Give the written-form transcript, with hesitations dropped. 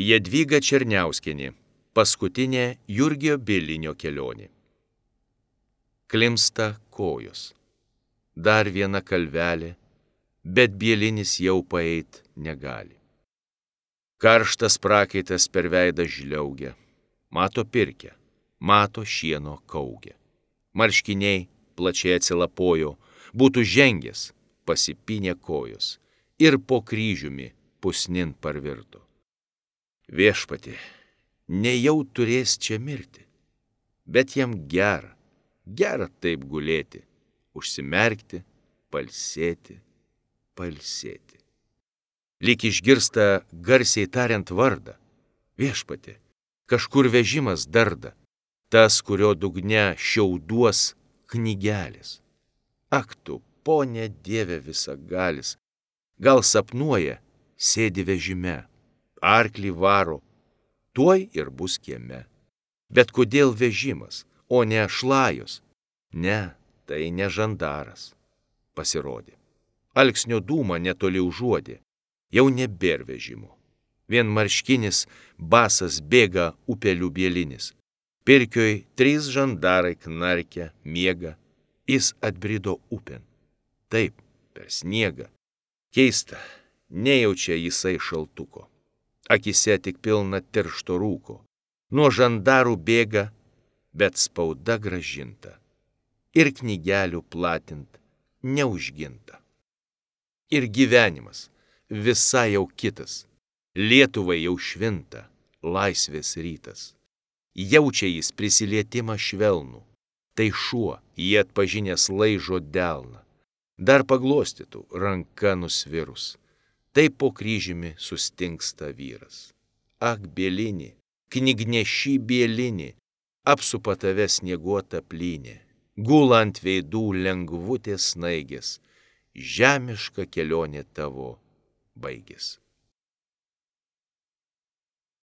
Jadvyga Černiauskienė. Paskutinė Jurgio Bielinio kelionė. Klimsta kojos. Dar viena kalvelė, bet Bielinis jau paeit negali. Karštas prakaitas per veidą žliaugia. Mato pirkę, mato šieno kaugę. Marškiniai plačiai atsilapojo, būtų žengęs, pasipynė kojos ir po kryžiumi pusnin parvirto. Viešpatie, nejau turės čia mirti, bet jam gera taip gulėti, užsimerkti, palsėti. Lyg išgirsta garsiai tariant vardą. Viešpatie, kažkur vežimas darda, tas, kurio dugne šiauduos knygelės. Ak tu, Pone Dieve visagalis, gal sapnuoja, sėdi vežime, arklį varo, tuoj ir bus kieme. Bet kodėl vežimas, o ne šlajos? Ne, tai ne žandaras. Pasirodė. Alksnio dūmą netoli užuodė, jau nebėr vežimo. Vien marškinis basas bėga upelių Bielinis. Pirkioj 3 žandarai knarkia, miega, jis atbrido upėn. Taip, per sniegą. Keista, nejaučia jisai šaltuko. Akise tik pilna tiršto rūko. Nuo žandarų bėga, bet spauda grąžinta. Ir knygelių platint neužginta. Ir gyvenimas visai jau kitas. Lietuvai jau švinta, laisvės rytas. Jaučia jis prisilietimą švelnų. Tai šuo, jį atpažinęs laižo delną. Dar paglostytų ranka nusvirus. Taip po kryžiumi sustingsta vyras. Ak, Bielini, knygneši Bielini, apsupa tave snieguota plynė. Gula ant veidų lengvutės snaigės, žemiška kelionė tavo baigės.